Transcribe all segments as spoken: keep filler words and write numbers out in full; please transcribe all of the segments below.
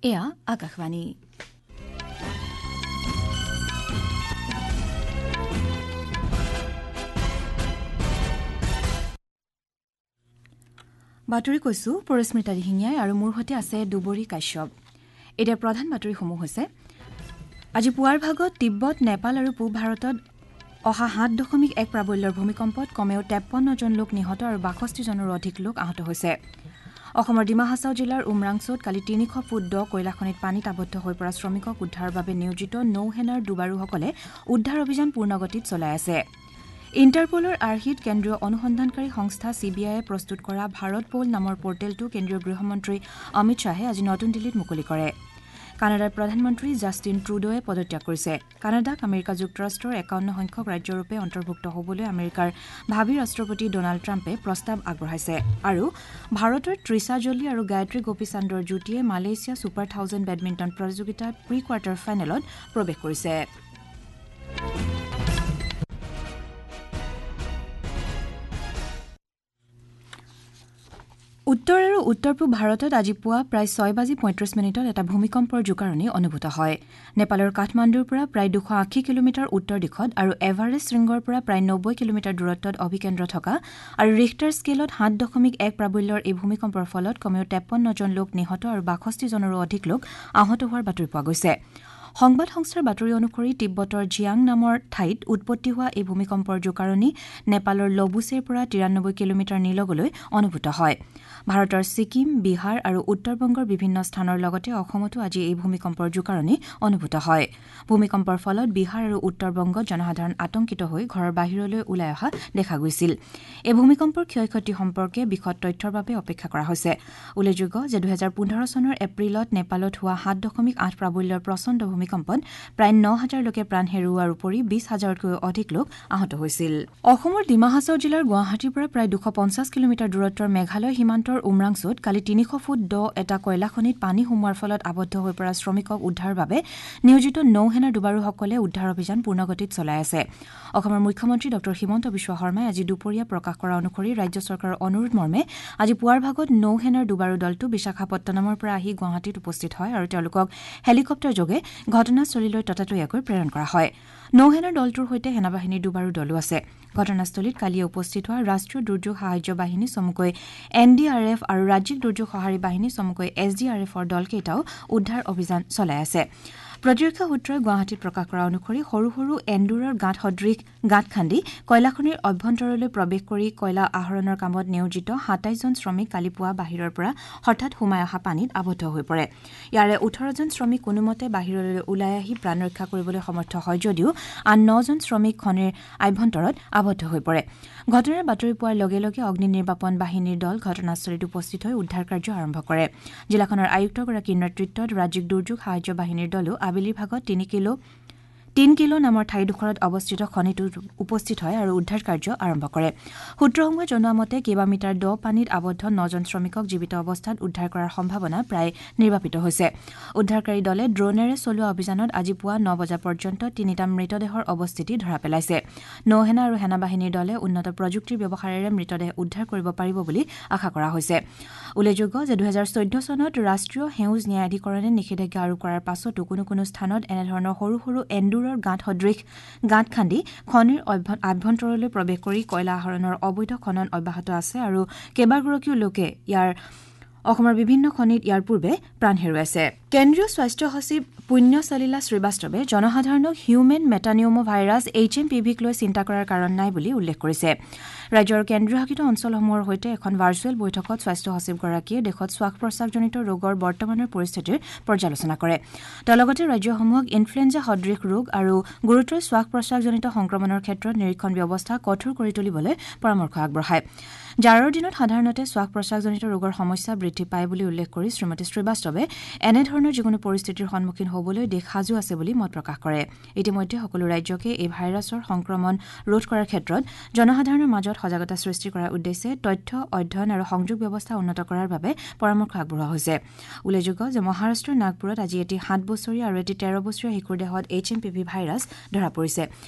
এয়া আকাশবাণী। বাতৰি কৈছো পৰিস্মিতা দিহিঙীয়াই আৰু মোৰ সৈতে আছে দুবৰী কাশ্যপ। এতিয়া প্ৰধান বাতৰিসমূহ হৈছে আজি পুৱাৰ ভাগত তিব্বত, নেপাল আৰু পূব ভাৰতত অহা সাত দশমিক এক প্ৰাবল্যৰ ভূমিকম্পত কমেও তেপন্নজন লোক নিহত আৰু বাষষ্ঠিজনৰো অধিক লোক আহত হৈছে। অসমৰ ডিমা হাছাও জিলাৰ উমৰাংচোত কালি তিনিশ ফুট দ কয়লাখনিত পানীত আবদ্ধ হৈ পৰা শ্ৰমিকক উদ্ধাৰৰ বাবে নিয়োজিত নৌসেনাৰ ডুবাৰুসকলে উদ্ধাৰ অভিযান পূৰ্ণগতিত চলাই আছে। ইণ্টাৰপ'লৰ আৰ্হিত কেন্দ্ৰীয় অনুসন্ধানকাৰী সংস্থা চি বি আইয়ে প্ৰস্তুত কৰা ভাৰত প'ল নামৰ পৰ্টেলটো কেন্দ্ৰীয় গৃহমন্ত্ৰী অমিত শ্বাহে আজি নতুন দিল্লীত মুকলি কৰে। কানাডাৰ প্ৰধানমন্ত্ৰী জাষ্টিন ট্ৰুডোৱে পদত্যাগ কৰিছে। কানাডাক আমেৰিকা যুক্তৰাষ্ট্ৰৰ একাৱন্ন সংখ্যক ৰাজ্যৰূপে অন্তৰ্ভুক্ত হ'বলৈ আমেৰিকাৰ ভাবী ৰাষ্ট্ৰপতি ডনাল্ড ট্ৰাম্পে প্ৰস্তাৱ আগবঢ়াইছে। আৰু ভাৰতৰ ত্ৰিছা জলি আৰু গায়ত্ৰী গোপীচান্দৰ যুটীয়ে মালয়েছিয়া ছুপাৰ থাউজেণ্ড বেডমিণ্টন প্ৰতিযোগিতাৰ প্ৰি কোৱাৰ্টাৰ ফাইনেলত প্ৰৱেশ কৰিছে। উত্তৰ আৰু উত্তৰ পূব ভাৰতত আজি পুৱা প্ৰায় ছয় বাজি পঁয়ত্ৰিছ মিনিটত এটা ভূমিকম্পৰ জোকাৰণি অনুভূত হয়। নেপালৰ কাঠমাণ্ডুৰ পৰা প্ৰায় দুশ আশী কিলোমিটাৰ উত্তৰ দিশত আৰু এভাৰেষ্ট শৃংগৰ পৰা প্ৰায় নব্বৈ কিলোমিটাৰ দূৰত্বত অভিকেন্দ্ৰ থকা আৰু ৰিখটাৰ স্কেলত সাত দশমিক এক প্ৰাবল্যৰ এই ভূমিকম্পৰ ফলত কমেও তেপন্নজন লোক নিহত আৰু বাষষ্ঠিজনৰো অধিক লোক আহত হোৱাৰ বাতৰি পোৱা গৈছে। সংবাদ সংস্থাৰ বাতৰি অনুসৰি তিব্বতৰ জিয়াং নামৰ ঠাইত উৎপত্তি হোৱা এই ভূমিকম্পৰ জোকাৰণি নেপালৰ লবুচেৰ পৰা তিৰানব্বৈ কিলোমিটাৰ নিলগলৈ অনুভূত হয়। ভাৰতৰ ছিকিম, বিহাৰ আৰু উত্তৰ বংগৰ বিভিন্ন স্থানৰ লগতে অসমতো আজি এই ভূমিকম্পৰ জোকাৰণি অনুভূত হয়। ভূমিকম্পৰ ফলত বিহাৰ আৰু উত্তৰ বংগত জনসাধাৰণ আতংকিত হৈ ঘৰৰ বাহিৰলৈ ওলাই অহা দেখা গৈছিল। এই ভূমিকম্পৰ ক্ষয় ক্ষতি সম্পৰ্কে বিশদ তথ্যৰ বাবে অপেক্ষা কৰা হৈছে। উল্লেখযোগ্য যে দুহেজাৰ পোন্ধৰ চনৰ এপ্ৰিলত নেপালত হোৱা সাত দশমিক আঠ প্ৰাবল্যৰ প্ৰচণ্ড ভূমিকম্প ভূমিকম্পত প্ৰায় ন হাজাৰ লোকে প্ৰাণ হেৰুওৱাৰ উপৰি বিশ হাজাৰতকৈও অধিক লোক আহত হৈছিল। অসমৰ ডিমা হাছাও জিলাৰ গুৱাহাটীৰ পৰা প্ৰায় দুশ পঞ্চাছ কিলোমিটাৰ দূৰত্বৰ মেঘালয় সীমান্তৰ উমৰাংচোত কালি তিনিশ ফুট দ এটা কয়লাখনিত পানী সোমোৱাৰ ফলত আবদ্ধ হৈ পৰা শ্ৰমিকক উদ্ধাৰৰ বাবে নিয়োজিত নৌসেনাৰ ডুবাৰুসকলে উদ্ধাৰ অভিযান পূৰ্ণগতিত চলাই আছে। অসমৰ মুখ্যমন্ত্ৰী ডঃ হিমন্ত বিশ্ব শৰ্মাই আজি দুপৰীয়া প্ৰকাশ কৰা অনুসৰি ৰাজ্য চৰকাৰৰ অনুৰোধ মৰ্মে আজি পুৱাৰ ভাগত নৌসেনাৰ ডুবাৰু দলটো বিশাখাপট্টনমৰ পৰা আহি গুৱাহাটীত উপস্থিত হয় আৰু তেওঁলোকক হেলিকপ্টাৰযোগে ঘটনাস্থলীলৈ ততাতৈয়াকৈ প্ৰেৰণ কৰা হয়। নৌসেনাৰ দলটোৰ সৈতে সেনাবাহিনীৰ দুবাৰো দলো আছে। ঘটনাস্থলীত কালিয়ে উপস্থিত হোৱা ৰাষ্ট্ৰীয় দুৰ্যোগ সাহায্য বাহিনী চমুকৈ এন ডি আৰ এফ আৰু ৰাজ্যিক দুৰ্যোগ সঁহাৰি বাহিনী চমুকৈ এছ ডি আৰ এফৰ দলকেইটাও উদ্ধাৰ অভিযান চলাই আছে। প্ৰতিৰক্ষা সূত্ৰই গুৱাহাটীত প্ৰকাশ কৰা অনুসৰি সৰু সৰু এন্দুৰৰ গাঁত সদৃশ গাঁত খান্দি কয়লাখনিৰ অভ্যন্তৰলৈ প্ৰৱেশ কৰি কয়লা আহৰণৰ কামত নিয়োজিত সাতাইছজন শ্ৰমিক কালি পুৱা বাহিৰৰ পৰা হঠাৎ সোমাই অহা পানীত আবদ্ধ হৈ পৰে। ইয়াৰে ওঠৰজন শ্ৰমিক কোনোমতে বাহিৰলৈ ওলাই আহি প্ৰাণ ৰক্ষা কৰিবলৈ সমৰ্থ হয় যদিও আন নজন শ্ৰমিক খনিৰ আভ্যন্তৰত আবদ্ধ হৈ পৰে। ঘটনাৰ বাতৰি পোৱাৰ লগে লগে অগ্নি নিৰ্বাপন বাহিনীৰ দল ঘটনাস্থলীত উপস্থিত হৈ উদ্ধাৰ কাৰ্য আৰম্ভ কৰে। জিলাখনৰ আয়ুক্তগৰাকীৰ নেতৃত্বত ৰাজ্যিক দুৰ্যোগ সাহায্য বাহিনীৰ দলো আবেলিৰ ভাগত তিনি কিলো তিন কিলো নামৰ ঠাইডোখৰত অৱস্থিত খনিটোত উপস্থিত হয় আৰু উদ্ধাৰ কাৰ্য আৰম্ভ কৰে। সূত্ৰসমূহে জনোৱা মতে কেইবামিটাৰ দ পানীত আবদ্ধ নজন শ্ৰমিকক জীৱিত অৱস্থাত উদ্ধাৰ কৰাৰ সম্ভাৱনা প্ৰায় নিৰ্বাপিত হৈছে। উদ্ধাৰকাৰী দলে ড্ৰোনেৰে চলোৱা অভিযানত আজি পুৱা ন বজা পৰ্যন্ত তিনিটা মৃতদেহৰ অৱস্থিতি ধৰা পেলাইছে। নৌসেনা আৰু সেনাবাহিনীৰ দলে উন্নত প্ৰযুক্তিৰ ব্যৱহাৰেৰে মৃতদেহ উদ্ধাৰ কৰিব পাৰিব বুলি আশা কৰা হৈছে। উল্লেখযোগ্য যে দুহেজাৰ চৈধ্য চনত ৰাষ্ট্ৰীয় সেউজ ন্যায়াধিকৰণে নিষেধাজ্ঞা আৰোপ কৰাৰ পাছতো কোনো কোনো স্থানত এনেধৰণৰ সৰু সৰু এন্দুৰৰ গাঁত সদৃশ গাঁত খান্দি খনিৰ আভ্যন্তৰলৈ প্ৰৱেশ কৰি কয়লা আহৰণৰ অবৈধ খনন অব্যাহত আছে আৰু কেইবাগৰাকীও লোকে ইয়াৰ অসমৰ বিভিন্ন খনিত ইয়াৰ পূৰ্বে প্ৰাণ হেৰুৱাইছে। কেন্দ্ৰীয় স্বাস্থ্য সচিব পুণ্য সলিলা শ্ৰীবাস্তৱে জনসাধাৰণক human metapneumovirus H M P ভিক লৈ চিন্তা কৰাৰ কাৰণ নাই বুলি উল্লেখ কৰিছে। ৰাজ্যৰ কেন্দ্ৰীয় শাসিত অঞ্চলসমূহৰ সৈতে এখন ভাৰ্চুৱেল বৈঠকত স্বাস্থ্য সচিবগৰাকীয়ে দেশত শ্বাস প্ৰশ্বাসজনিত ৰোগৰ বৰ্তমানৰ পৰিস্থিতিৰ পৰ্যালোচনা কৰে। তেওঁ লগতে ৰাজ্যসমূহক ইনফ্লুৱেঞ্জা সদৃশ ৰোগ আৰু গুৰুতৰ শ্বাস প্ৰশ্বাসজনিত সংক্ৰমণৰ ক্ষেত্ৰত নিৰীক্ষণ ব্যৱস্থা কঠোৰ কৰি তুলিবলৈ পৰামৰ্শ আগবঢ়ায়। জাৰৰ দিনত সাধাৰণতে শ্বাস প্ৰশ্বাসজনিত ৰোগৰ সমস্যা বৃদ্ধি পায় বুলি উল্লেখ কৰি শ্ৰীমতী শ্ৰীবাস্তৱে এনেধৰণৰ যিকোনো পৰিস্থিতিৰ সন্মুখীন হ'বলৈ দেশ সাজু আছে বুলি মত প্ৰকাশ কৰে। ইতিমধ্যে সকলো ৰাজ্যকে এই ভাইৰাছৰ সংক্ৰমণ ৰোধ কৰাৰ ক্ষেত্ৰত জনসাধাৰণৰ মাজত সজাগতা সৃষ্টি কৰাৰ উদ্দেশ্যে তথ্য অধ্যয়ন আৰু সংযোগ ব্যৱস্থা উন্নত কৰাৰ বাবে পৰামৰ্শ আগবঢ়োৱা হৈছে। উল্লেখযোগ্য যে মহাৰাষ্ট্ৰৰ নাগপুৰত আজি এটি সাত বছৰীয়া আৰু এটি তেৰ বছৰীয়া শিশুৰ দেহত H M P V virus ধৰা পৰিছে।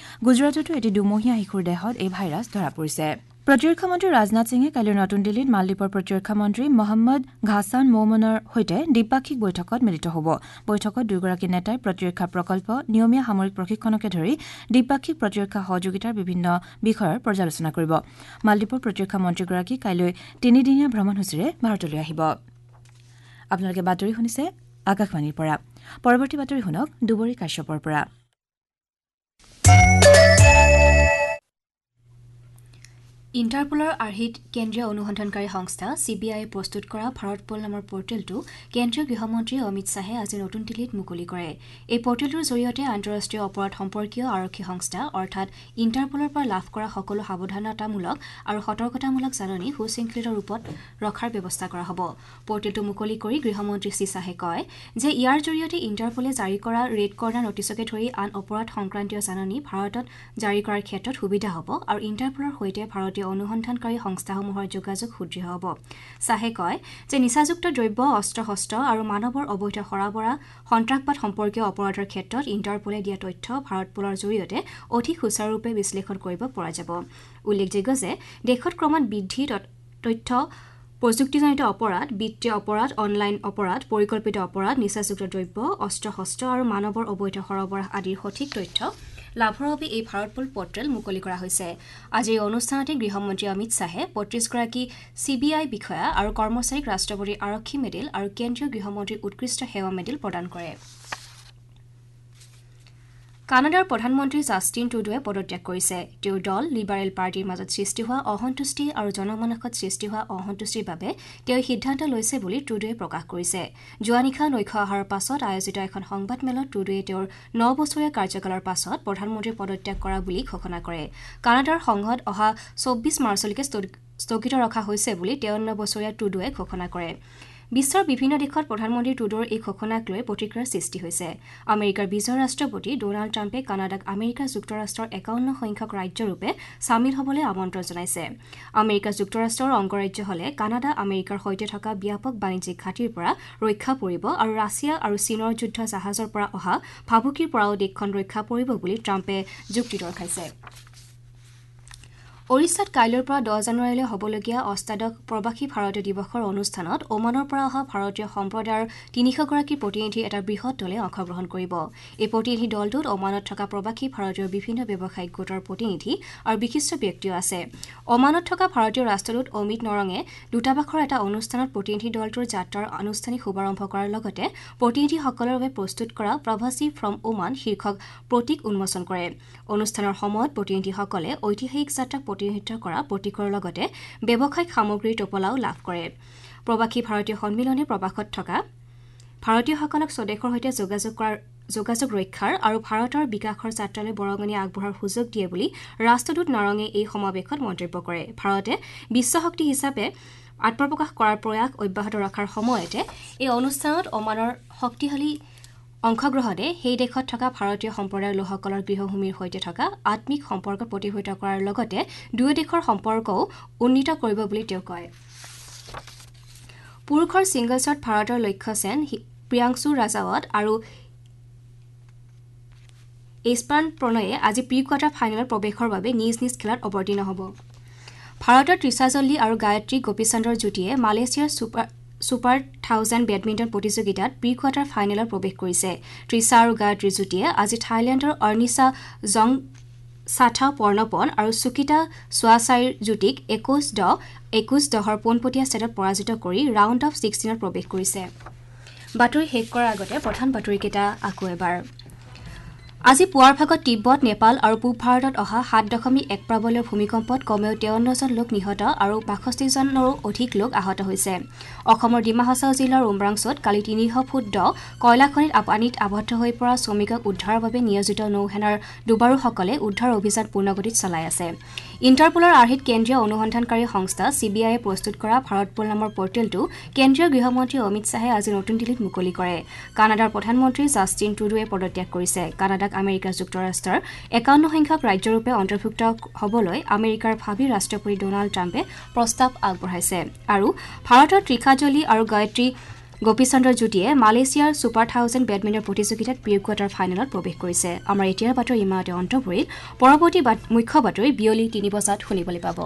গুজৰাটতো এটি দুমহীয়া শিশুৰ দেহত এই ভাইৰাছ ধৰা পৰিছে। প্ৰতিৰক্ষা মন্ত্ৰী ৰাজনাথ সিঙে কাইলৈ নতুন দিল্লীত মালদ্বীপৰ প্ৰতিৰক্ষা মন্ত্ৰী মহম্মদ ঘাছান মৌমনৰ সৈতে দ্বিপাক্ষিক বৈঠকত মিলিত হ'ব। বৈঠকত দুয়োগৰাকী নেতাই প্ৰতিৰক্ষা প্ৰকল্প, নিয়মীয়া সামৰিক প্ৰশিক্ষণকে ধৰি দ্বিপাক্ষিক প্ৰতিৰক্ষা সহযোগিতাৰ বিভিন্ন বিষয়ৰ পৰ্যালোচনা কৰিব। মালদ্বীপৰ প্ৰতিৰক্ষা মন্ত্ৰীগৰাকী কাইলৈ তিনিদিনীয়া ভ্ৰমণসূচীৰে ভাৰতলৈ আহিব। আপোনালোকে বাতৰি শুনিছে আকাশবাণীৰ পৰা। পৰৱৰ্তী বাতৰি শুনক দুবৰী কাশ্যপৰ পৰা। ইণ্টাৰপলৰ আৰ্হিত কেন্দ্ৰীয় অনুসন্ধানকাৰী সংস্থা চি বি আইয়ে প্ৰস্তুত কৰা ভাৰতপল নামৰ পৰ্টেলটো কেন্দ্ৰীয় গৃহমন্ত্ৰী অমিত শ্বাহে আজি নতুন দিল্লীত মুকলি কৰে। এই পৰ্টেলটোৰ জৰিয়তে আন্তঃৰাষ্ট্ৰীয় অপৰাধ সম্পৰ্কীয় আৰক্ষী সংস্থা অৰ্থাৎ ইণ্টাৰপলৰ পৰা লাভ কৰা সকলো সাৱধানতামূলক আৰু সতৰ্কতামূলক জাননী সুশৃংখলিত ৰূপত ৰখাৰ ব্যৱস্থা কৰা হ'ব। পৰ্টেলটো মুকলি কৰি গৃহমন্ত্ৰী শ্ৰী শ্বাহে কয় যে ইয়াৰ জৰিয়তে ইণ্টাৰপলে জাৰি কৰা ৰেড কৰ্ণাৰ নটিচকে ধৰি আন অপৰাধ সংক্ৰান্তীয় জাননী ভাৰতত জাৰি কৰাৰ ক্ষেত্ৰত সুবিধা হ'ব আৰু ইণ্টাৰপলৰ সৈতে ভাৰতীয় অনুসন্ধানকাৰী সংস্থাসমূহৰ যোগাযোগ সুদৃঢ় হ'ব। শ্বাহে কয় যে নিচাযুক্ত দ্ৰব্য, অস্ত্ৰ শস্ত্ৰ আৰু মানৱৰ অবৈধ সৰবৰাহ, সন্ত্ৰাসবাদ সম্পৰ্কীয় অপৰাধৰ ক্ষেত্ৰত ইণ্টাৰপলে দিয়া তথ্য ভাৰতপলৰ জৰিয়তে অধিক সুচাৰুৰূপে বিশ্লেষণ কৰিব পৰা যাব। উল্লেখযোগ্য যে দেশত ক্ৰমাৎ বৃদ্ধি তথ্য প্ৰযুক্তিজনিত অপৰাধ, বিত্তীয় অপৰাধ, অনলাইন অপৰাধ, পৰিকল্পিত অপৰাধ, নিচাযুক্ত দ্ৰব্য, অস্ত্ৰ শস্ত্ৰ আৰু মানৱৰ অবৈধ সৰবৰাহ আদিৰ সঠিক তথ্য লাভৰ বাবে এই ভাৰতপল পৰ্টেল মুকলি কৰা হৈছে। আজিৰ এই অনুষ্ঠানতে গৃহমন্ত্ৰী অমিত শ্বাহে পঁয়ত্ৰিছগৰাকী চি বি আই বিষয়া আৰু কৰ্মচাৰীক ৰাষ্ট্ৰপতিৰ আৰক্ষী মেডেল আৰু কেন্দ্ৰীয় গৃহমন্ত্ৰীৰ উৎকৃষ্ট সেৱা মেডেল প্ৰদান কৰে। কানাডাৰ প্ৰধানমন্ত্ৰী জাষ্টিন ট্ৰুডোৱে পদত্যাগ কৰিছে। তেওঁৰ দল লিবাৰেল পাৰ্টীৰ মাজত সৃষ্টি হোৱা অসন্তুষ্টি আৰু জনমানসত সৃষ্টি হোৱা অসন্তুষ্টিৰ বাবে তেওঁ সিদ্ধান্ত লৈছে বুলি ট্ৰুডোৱে প্ৰকাশ কৰিছে। যোৱা নিশা নৈশ আহাৰৰ পাছত আয়োজিত এখন সংবাদমেলত ট্ৰুডোৱে তেওঁৰ ন বছৰীয়া কাৰ্যকালৰ পাছত প্ৰধানমন্ত্ৰীৰ পদত্যাগ কৰা বুলি ঘোষণা কৰে। কানাডাৰ সংসদ অহা চৌব্বিছ মাৰ্চলৈকে স্থগিত ৰখা হৈছে বুলি তেৱন্ন বছৰীয়া ট্ৰুডোৱে ঘোষণা কৰে। বিশ্বৰ বিভিন্ন দেশত প্ৰধানমন্ত্ৰী ট্ৰুডোৰ এই ঘোষণাক লৈ প্ৰতিক্ৰিয়াৰ সৃষ্টি হৈছে। আমেৰিকাৰ বিজয়ী ৰাষ্ট্ৰপতি ড'নাল্ড ট্ৰাম্পে কানাডাক আমেৰিকা যুক্তৰাষ্ট্ৰৰ একাৱন্ন সংখ্যক ৰাজ্যৰূপে চামিল হ'বলৈ আমন্ত্ৰণ জনাইছে। আমেৰিকা যুক্তৰাষ্ট্ৰৰ অংগৰাজ্য হ'লে কানাডা আমেৰিকাৰ সৈতে থকা ব্যাপক বাণিজ্যিক ঘাটিৰ পৰা ৰক্ষা পৰিব আৰু ৰাছিয়া আৰু চীনৰ যুদ্ধ জাহাজৰ পৰা অহা ভাবুকিৰ পৰাও দেশখন ৰক্ষা পৰিব বুলি ট্ৰাম্পে যুক্তি দৰ্শাইছে। ওড়িশাত কাইলৈৰ পৰা দহ জানুৱাৰীলৈ হ'বলগীয়া অষ্টাদশ প্ৰৱাসী ভাৰতীয় দিৱসৰ অনুষ্ঠানত ওমানৰ পৰা অহা ভাৰতীয় সম্প্ৰদায়ৰ তিনিশগৰাকী প্ৰতিনিধিৰ এটা বৃহৎ দলে অংশগ্ৰহণ কৰিব। এই প্ৰতিনিধি দলটোত ওমানত থকা প্ৰৱাসী ভাৰতীয়ৰ বিভিন্ন ব্যৱসায়িক গোটৰ প্ৰতিনিধি আৰু বিশিষ্ট ব্যক্তিও আছে। ওমানত থকা ভাৰতীয় ৰাষ্ট্ৰদূত অমিত নৰঙে দূতাবাসৰ এটা অনুষ্ঠানত প্ৰতিনিধি দলটোৰ যাত্ৰাৰ আনুষ্ঠানিক শুভাৰম্ভ কৰাৰ লগতে প্ৰতিনিধিসকলৰ বাবে প্ৰস্তুত কৰা প্ৰৱাসী ফ্ৰম ওমান শীৰ্ষক প্ৰতীক উন্মোচন কৰে। অনুষ্ঠানৰ সময়ত প্ৰতিনিধিসকলে ঐতিহাসিক যাত্ৰাক প্ৰতিনিধিত্ব কৰা প্ৰতীকৰ লগতে ব্যৱসায়িক সামগ্ৰীৰ টোপোলাও লাভ কৰে। প্ৰৱাসী ভাৰতীয় সন্মিলনে প্ৰৱাসত থকা ভাৰতীয়সকলক স্বদেশৰ সৈতে যোগাযোগ কৰাৰ যোগাযোগ ৰক্ষাৰ আৰু ভাৰতৰ বিকাশৰ যাত্ৰালৈ বৰঙণি আগবঢ়োৱাৰ সুযোগ দিয়ে বুলি ৰাষ্ট্ৰদূত নাৰঙে এই সমাৱেশত মন্তব্য কৰে। ভাৰতে বিশ্বশক্তি হিচাপে আত্মপ্ৰকাশ কৰাৰ প্ৰয়াস অব্যাহত ৰখাৰ সময়তে এই অনুষ্ঠানত ওমানৰ শক্তিশালী অংশগ্ৰহণে সেই দেশত থকা ভাৰতীয় সম্প্ৰদায়ৰ লোকসকলৰ গৃহভূমিৰ সৈতে থকা আত্মিক সম্পৰ্ক প্ৰতিফলিত কৰাৰ লগতে দুয়ো দেশৰ সম্পৰ্কও উন্নীত কৰিব বুলি তেওঁ কয়। পুৰুষৰ ছিংগলছত ভাৰতৰ লক্ষ্য সেন, প্ৰিয়াংশু ৰাজাৱত আৰু এইচপান প্ৰণয়ে আজি প্ৰি কোৱাৰ্টাৰ ফাইনেলত প্ৰৱেশৰ বাবে নিজ নিজ খেলত অৱতীৰ্ণ হ'ব। ভাৰতৰ ত্ৰিশা জল্লী আৰু গায়ত্ৰী গোপীচান্দৰ যুটিয়ে মালয়েছিয়াৰ ছুপাৰ ছুপাৰ থাউজেণ্ড বেডমিণ্টন প্ৰতিযোগিতাত প্ৰি কোৱাৰ্টাৰ ফাইনেলত প্ৰৱেশ কৰিছে। ত্ৰিশা আৰু গায়ত্ৰী যুটিয়ে আজি থাইলেণ্ডৰ অৰ্নিছা জং সাথা পৰ্ণপন আৰু সুকিতা চুৱাচাইৰ যুটিক একৈশ দহ একৈশ দহৰ পোনপটীয়া ছেটত পৰাজিত কৰি ৰাউণ্ড অফ ছিক্সটিনত প্ৰৱেশ কৰিছে। বাতৰি শেষ কৰাৰ আগতে প্ৰধান বাতৰিকেইটা আকৌ এবাৰ। আজি পুৱাৰ ভাগত তিব্বত, নেপাল আৰু পূব ভাৰতত অহা সাত দশমিক এক প্ৰাবল্যৰ ভূমিকম্পত কমেও তেৱন্নজন লোক নিহত আৰু বাষষ্ঠিজনৰো অধিক লোক আহত হৈছে। অসমৰ ডিমা হাছাও জিলাৰ উমৰাংচুত কালি তিনিশ ফুট দ কয়লাখনিত পানীত আবদ্ধ হৈ পৰা শ্ৰমিকক উদ্ধাৰৰ বাবে নিয়োজিত নৌসেনাৰ ডুবাৰুসকলে উদ্ধাৰ অভিযান পূৰ্ণগতিত চলাই আছে। ইণ্টাৰপলৰ আৰ্হিত কেন্দ্ৰীয় অনুসন্ধানকাৰী সংস্থা চি বি আইয়ে প্ৰস্তুত কৰা ভাৰতপল নামৰ পৰ্টেলটো কেন্দ্ৰীয় গৃহমন্ত্ৰী অমিত শ্বাহে আজি নতুন দিল্লীত মুকলি কৰে। কানাডাৰ প্ৰধানমন্ত্ৰী জাষ্টিন ট্ৰুডোৱে পদত্যাগ কৰিছে। কানাডাক আমেৰিকা যুক্তৰাষ্ট্ৰৰ একাৱন্ন সংখ্যক ৰাজ্যৰূপে অন্তৰ্ভুক্ত হ'বলৈ আমেৰিকাৰ ভাবী ৰাষ্ট্ৰপতি ড'নাল্ড ট্ৰাম্পে প্ৰস্তাৱ আগবঢ়াইছে। আৰু ভাৰতৰ ত্ৰিশা জলি আৰু গায়ত্ৰী গোপীচন্দ্ৰৰ যুটিয়ে মালয়েছিয়াৰ ছুপাৰ থাউজেণ্ড বেডমিণ্টন প্ৰতিযোগিতাত প্ৰি কোৱাৰ্টাৰ ফাইনেলত প্ৰৱেশ কৰিছে। আমাৰ এতিয়াৰ বাতৰি ইমানতে অন্ত পৰিল। পৰৱৰ্তী মুখ্য বাতৰি বিয়লি তিনি বজাত শুনিবলৈ পাব।